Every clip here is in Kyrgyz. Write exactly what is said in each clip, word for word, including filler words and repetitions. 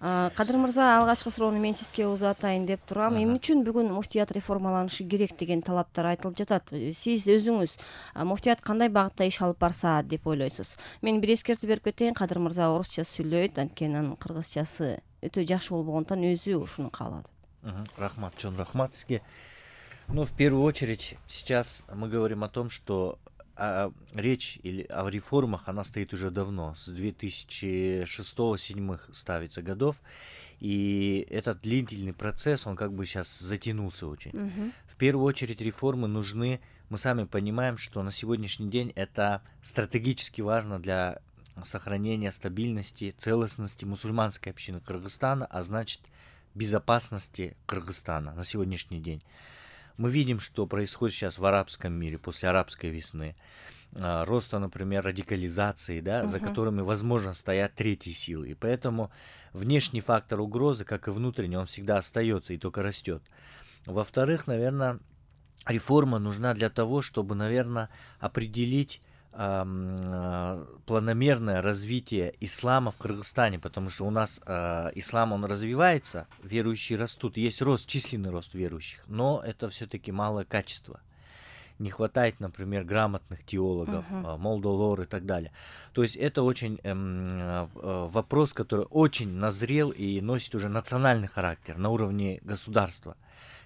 Кадыр мырза, алгачкы суроону мен сизге узатайын деп турам. Эмне үчүн бүгүн муфтият реформаланышы керек деген талаптар айтылып жатат? Сиз өзүңүз муфтият кандай багытта иш алып барса деп ойлойсуз? Мен бир эскертүү берип кетейин. Кадыр мырза орусча сүйлөйт, анткени анын кыргызчасы өтө жакшы болгондон өзү ушуну каалады. Рахмат, чон рахмат сизге. Ну, в первую очередь, сейчас мы говорим о том, что а, речь или о реформах, она стоит уже давно, с две тысячи шестого — две тысячи седьмого ставится годов, и этот длительный процесс, он как бы сейчас затянулся очень. Uh-huh. В первую очередь реформы нужны, мы сами понимаем, что на сегодняшний день это стратегически важно для сохранения стабильности, целостности мусульманской общины Кыргызстана, а значит безопасности Кыргызстана на сегодняшний день. Мы видим, что происходит сейчас в арабском мире после арабской весны, роста, например, радикализации, да, uh-huh. за которыми, возможно, стоят третьи силы. И поэтому внешний фактор угрозы, как и внутренний, он всегда остается и только растет. Во-вторых, наверное, реформа нужна для того, чтобы, наверное, определить планомерное развитие ислама в Кыргызстане, потому что у нас э, ислам, он развивается, верующие растут, есть рост, численный рост верующих, но это все-таки малое качество. Не хватает, например, грамотных теологов, uh-huh. молдолор и так далее. То есть это очень э, э, вопрос, который очень назрел и носит уже национальный характер на уровне государства.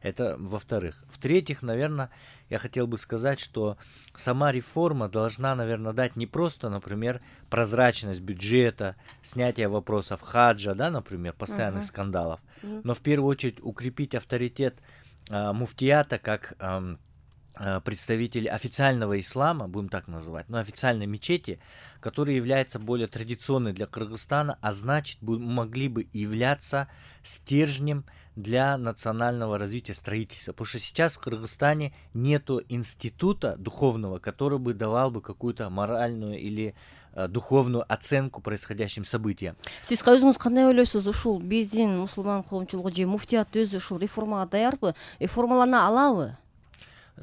Это во-вторых. В-третьих, наверное, я хотел бы сказать, что сама реформа должна, наверное, дать не просто, например, прозрачность бюджета, снятие вопросов хаджа, да, например, постоянных uh-huh. скандалов, uh-huh. но в первую очередь укрепить авторитет э, муфтията как э, представителей официального ислама, будем так называть, но официальной мечети, которая является более традиционной для Кыргызстана, а значит, могли бы являться стержнем для национального развития строительства. Потому что сейчас в Кыргызстане нету института духовного, который бы давал бы какую-то моральную или э, духовную оценку происходящим событиям. Сиз өзүңүз кандай ойлойсуз, ушул биздин мусулман коомчулугу же муфтият өзү ушул реформага даярбы, реформалана алабы?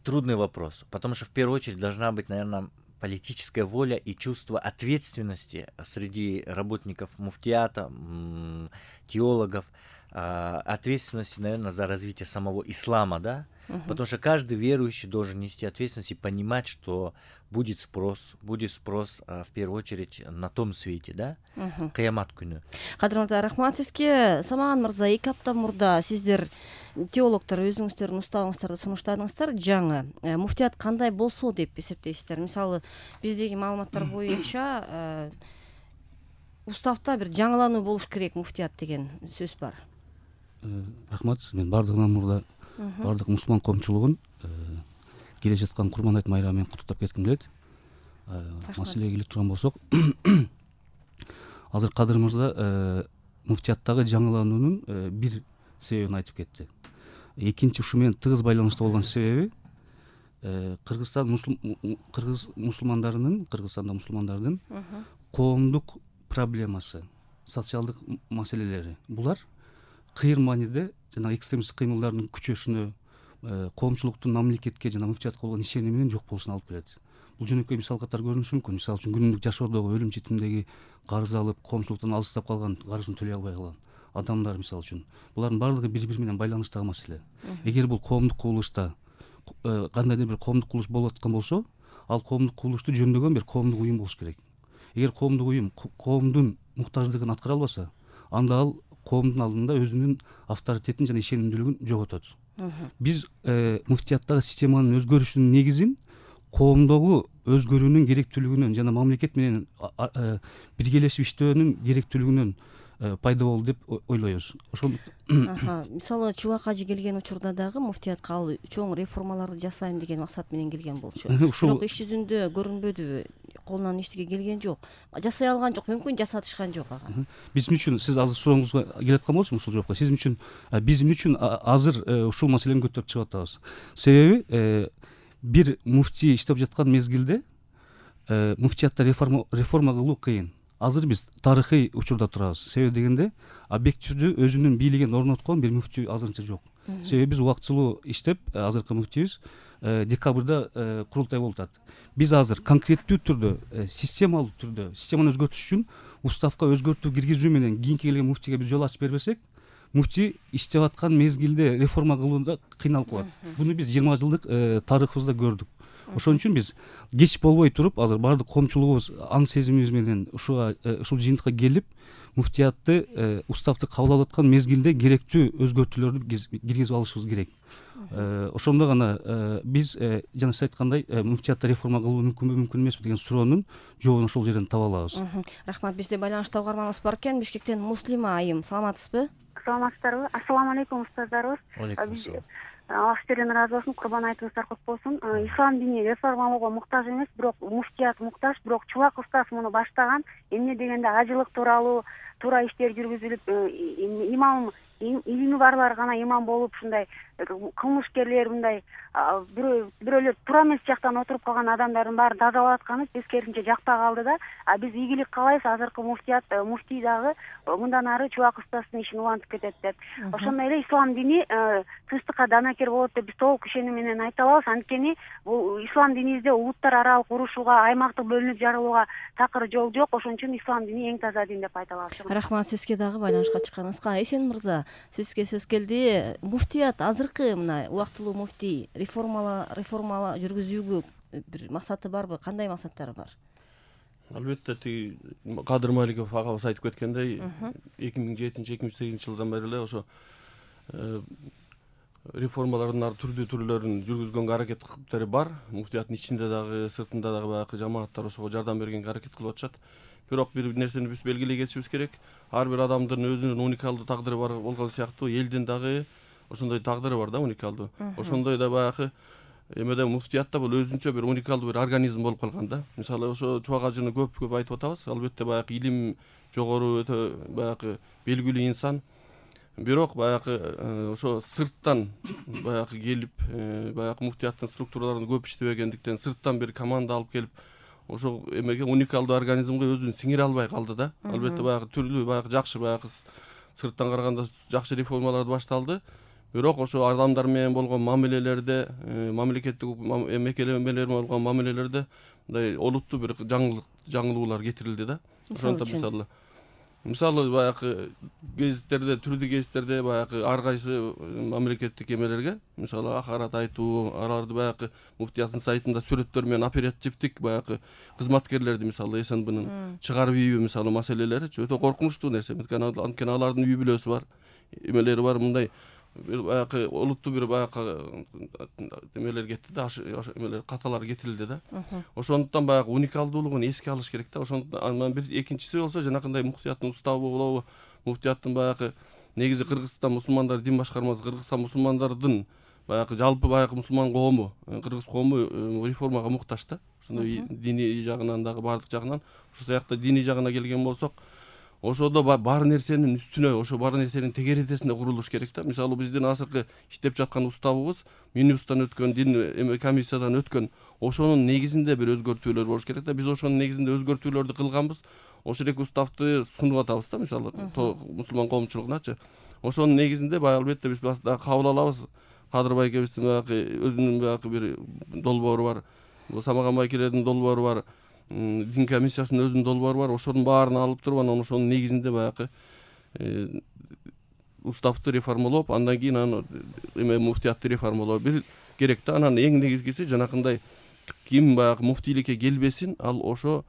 Трудный вопрос, потому что в первую очередь должна быть, наверное, политическая воля и чувство ответственности среди работников муфтията, теологов, ответственности, наверное, за развитие самого ислама, да, uh-huh. потому что каждый верующий должен нести ответственность и понимать, что будет спрос, будет спрос в первую очередь на том свете, да, uh-huh. кыямат күнү. Кадыр мырза, рахмат сизге. Самаган мырза, эки апта мурда сиздер теологдор өзүңүздөрдүн уставыңыздарды сунуштадыңыздар. Жаңы муфтият кандай болсо деп эсептейсиздер? Мисалы, биздеги маалыматтар боюнча уставда бир жаңылануу болуш керек муфтият деген сөз бар. Рахмат, мен бардыгынан мурда бардык мусулман коомчулугун келе жаткан Курман айт майрамы менен куттуктап кетким келет. Маселеге келип турган болсок, азыр Кадыр мырза муфтияттагы жаңылануунун бир себебин айтып кетти. Экинчи, ушу менен тыгыз байланыштуу болгон себеби Кыргызстан кыргыз мусулмандарынын, Кыргызстанда мусулмандардын коомдук проблемасы, социалдык маселелери. Булар кыйыр мааниде жана экстремисттик кыймылдардын күчөшүнө, коомчулуктун мамлекетке жана муфтиятка болгон ишеними менен жок болушуна алып келет. Бул жөнөкөй мисал катары көрүнүшү мүмкүн. Мисалы үчүн күнүмдүк жашоодогу өлүм жетимдеги карыз алып, коомчулуктан алыстап калган, карызын төлөй албай калган адамдар мисалы үчүн. Булардын баардыгы бири-бири менен байланыштагы маселе. Эгер бул коомдук кубулушта кандайдыр бир коомдук кубулуш болуп аткан болсо, ал коомдук кубулушту жөндөгөн бир коомдук уюм болуш керек. Эгер коомдук уюм коомдун муктаждыгын аткара албаса, анда ал коомдун алдында өзүнүн авторитетин жана ишенимдүүлүгүн жоготот. Биз муфтияттагы системанын өзгөрүшүнүн негизин коомдогу өзгөрүүнүн керектүүлүгүнөн жана мамлекет менен биргелешип иштөөнүн керектүүлүгүнөн пайда болду деп ойлойбуз. Ошол мисалы Чубак ажы келген учурда дагы муфтиятка ал чоң реформаларды жасайм деген максат менен келген болчу. Бирок иш жүзүндө көрүнбөдү, колунан эчтеке келген жок. Жасай алган жок, мүмкүн жасатышкан жок ага. Биз үчүн, сиз азыр сурооңузга келаткан болчу ушул жоопко. Сиз үчүн, биз үчүн азыр ушул маселени көтөрүп чыгып атабыз. Себеби бир муфти иштеп жаткан мезгилде муфтиятта реформа реформа кылуу кыйын. Азыр биз тарыхый учурда турабыз. Себеби дегенде, объективдүү өзүнүн бийлигин орноткон бир муфти азырынча жок. Себеби биз убактылуу иштеп, азыркы муфтибиз декабрда курултай болуп атат. Биз азыр конкреттүү түрдө, системалуу түрдө, системаны өзгөртүш үчүн уставка өзгөртүү киргизүү менен кийинки келген муфтийге биз жол ачып бербесек, муфтий иштеп аткан мезгилде реформа кылууда кыйналып калат. Буну биз жыйырма жылдык тарыхыбызда көрдүк. Ошон үчүн биз кеч болбой туруп, азыр баардык коомчулугубуз аң сезимибиз менен ушуга ушул жыйынтыкка келип, муфтиятты уставды кабыл алып аткан мезгилде керектүү өзгөртүүлөрдү киргизип алышыбыз керек. Ошондо гана биз жана сиз айткандай муфтиятты реформа кылуу мүмкүнбү, мүмкүн эмеспи деген суроонун жообун ошол жерден таба алабыз. Рахмат. Бизде байланышта угарманыбыз бар экен. Бишкектен Муслима айым, саламатсызбы? Саламатсыздарбы? Ассаламу алейкум устаздарыбыз. Алейкум ассалам. Аллах сиздерден ыраазы болсун, курбан айтыңыздар кут болсун. Ислам дини реформалоого муктаж эмес, бирок муфтият муктаж, бирок чубак устаз муну баштаган. Эмне дегенде ажылык тууралуу туура иштер жүргүзүлүп, имам илими барлар гана имам болуп, ушундай кылмышкерлер, мындай бирөөлөр туура эмес жактан отуруп калган адамдардын баарын тазалап атканы тескерисинче жакпай калды да. А биз ийгилик каалайбыз, азыркы муфтият муфтий дагы мындан ары чубак устаздын ишин улантып кетет деп. Ошондой эле ислам дини тынчтыкка данакер болот деп биз толук ишенүү менен айта алабыз. Анткени бул ислам динибизде улуттар аралык урушууга, аймактык бөлүнүп жарылууга такыр жол жок. Ошон үчүн ислам дини эң таза дин деп айта алабыз. Рахмат сизге дагы байланышка чыкканыңызга. Эсен мырза, сизге сөз келди. Муфтият азыркы мына убактылуу муфтий реформала реформала жүргүзүүгө бир максаты барбы? Кандай максаттары бар? Албетте, тиги Кадыр Маликов агабыз айтып кеткендей, эки миң жетинчи эки миң сегизинчи жылдан бери эле ошо реформалардын түрдүү түрлөрүн жүргүзгөнгө аракеттери бар. Муфтияттын ичинде дагы, сыртында дагы баягы жамааттар ошого жардам бергенге аракет кылып атышат. Бирок бир нерсени биз белгилей кетишибиз керек. Ар бир адамдын өзүнүн уникалдуу тагдыры бар болгон сыяктуу, элдин дагы ошондой тагдыры бар да, уникалдуу. Ошондой да баягы эмеде муфтиятта бул өзүнчө бир уникалдуу бир организм болуп калган да. Мисалы ошо чубак ажыны көп көп айтып атабыз. Албетте баягы илим жогору, өтө баягы белгилүү инсан. Бирок баягы ошо сырттан баягы келип, баягы муфтияттын структураларын көп иштебегендиктен сырттан бир команда алып келип, ошо эмеге уникалдуу организмге өзүн сиңире албай калды да. Албетте баягы түрлүү баягы жакшы баягы сырттан караганда жакшы реформалар башталды. Бирок ошо адамдар менен болгон мамилелерде, мамлекеттик мекемелер болгон мамилелерде мындай олуттуу бир жаңылык жаңылуулар кетирилди да. Ошондо мисалы мисалы баягы гезиттерде, түрдүү гезиттерде баягы ар кайсы мамлекеттик эмелерге, мисалы акарат айтуу, аларды баягы муфтияттын сайтында сүрөттөр менен оперативдик баягы кызматкерлерди, мисалы СНБнын чыгарып ийүү мисалы маселелери өтө коркунучтуу нерсе. Анткени алардын үй бүлөсү бар, эмелери бар, мындай баягы олуттуу бир баягы эмелер кетти да, эмелер каталар кетирилди да. Ошондуктан баягы уникалдуулугун эске алыш керек да. Ошондон бир экинчиси болсо жанакындай муфтияттын уставы болобу, муфтияттын баягы негизи Кыргызстан мусулмандар дин башкармасы, Кыргызстан мусулмандардын баягы жалпы баягы мусулман коому, кыргыз коому реформага муктаж да. Ошондой диний жагынан дагы баардык жагынан. Ошол сыяктуу диний жагына келген болсок, ошодо бар нерсенин үстүнө, ошо бар нерсенин тегеретесинде курулуш керек да. Мисалы биздин азыркы иштеп жаткан уставыбыз Минюстан өткөн, дин эме комиссиядан өткөн, ошонун негизинде бир өзгөртүүлөр болуш керек да. Биз ошонун негизинде өзгөртүүлөрдү кылганбыз. Ошол элек уставды сунуп атабыз да, мисалы мусулман коомчулугуначы. Ошонун негизинде баягы албетте биз кабыл алабыз. Кадыр байкебиздин баягы өзүнүн баягы бир долбоору бар. Самаган байкелердин долбоору бар. Дин комиссиясынын өзүнүн долбоору бар. Ошонун баарын алып туруп, анан ошонун негизинде баягы уставды реформалоп, андан кийин аны эме муфтиятты реформалоо бир керек да. Анан эң негизгиси жанакындай ким баягы муфтийликке келбесин, ал ошо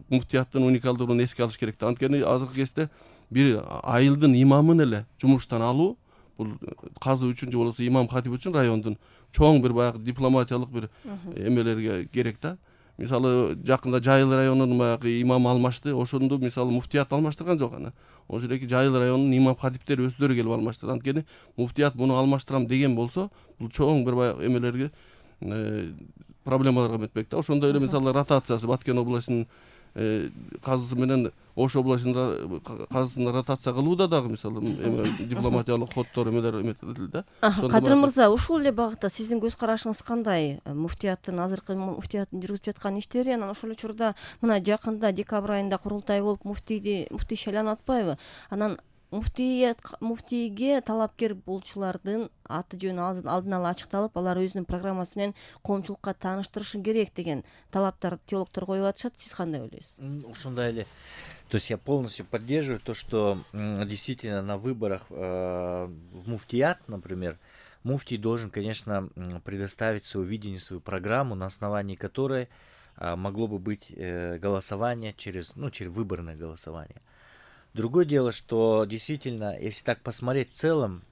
муфтияттын уникалдуулугун эске алыш керек да. Анткени азыркы кезде бир айылдын имамын эле жумуштан алуу, бул казы үчүн же болбосо имам хатип үчүн райондун чоң бир баягы дипломатиялык бир эмелерге керек да. Мисалы жакында Жайыл районунун баягы имамы алмашты. Ошондо мисалы муфтият алмаштырган жок аны. Ошол эки Жайыл районунун имам хатиптери өздөрү келип алмаштырды. Анткени муфтият муну алмаштырам деген болсо, бул чоң бир баягы эмелерге проблемаларга метпек да. Ошондой эле мисалы ротациясы Баткен областынын казысы менен Ош областынын казысын ротация кылууда дагы мисалы дипломатиялык ходдор эмелер эметилди да. Кадыр мырза, ушул эле багытта сиздин көз карашыңыз кандай? Муфтияттын азыркы муфтияттын жүргүзүп жаткан иштери, анан ошол учурда мына жакында декабрь айында курултай болуп муфтийди муфтий шайланып атпайбы? Анан муфтият муфтийге талапкер болчулардын аты жөнү алдын ала ачыкталып, алар өзүнүн программасы менен коомчулукка тааныштырышы керек деген талаптар теологдор коюп атышат. Сиз кандай ойлойсуз? Ошондой эле То есть я полностью поддерживаю то, что действительно на выборах в муфтият, например, муфтий должен, конечно, предоставить свое видение, свою программу, на основании которой могло бы быть голосование через, ну, через выборное голосование. Другое дело, что действительно, если так посмотреть в целом,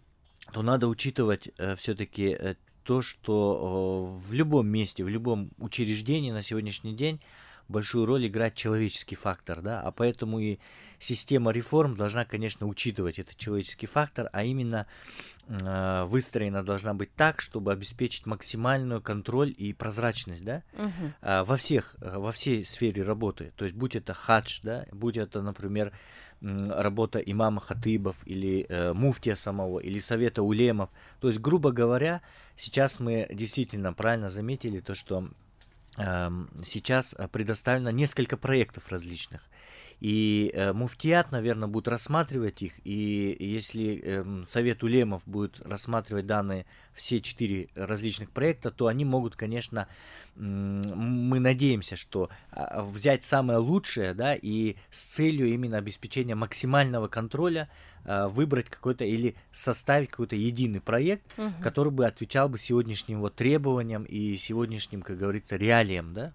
то надо учитывать все-таки то, что в любом месте, в любом учреждении на сегодняшний день большую роль играет человеческий фактор, да, а поэтому и система реформ должна, конечно, учитывать этот человеческий фактор, а именно э, выстроена должна быть так, чтобы обеспечить максимальную контроль и прозрачность, да, uh-huh. э, во всех, во всей сфере работы, то есть будь это хадж, да, будь это, например, работа имама хатыбов или э, муфтия самого, или совета улемов, то есть, грубо говоря, сейчас мы действительно правильно заметили то, что сейчас предоставлено несколько проектов различных. И э, муфтият, наверное, будет рассматривать их, и если э, Совет улемов будет рассматривать данные все четыре различных проекта, то они могут, конечно, э, мы надеемся, что э, взять самое лучшее, да, и с целью именно обеспечения максимального контроля э, выбрать какой-то или составить какой-то единый проект, uh-huh. который бы отвечал бы сегодняшним вот требованиям и сегодняшним, как говорится, реалиям, да.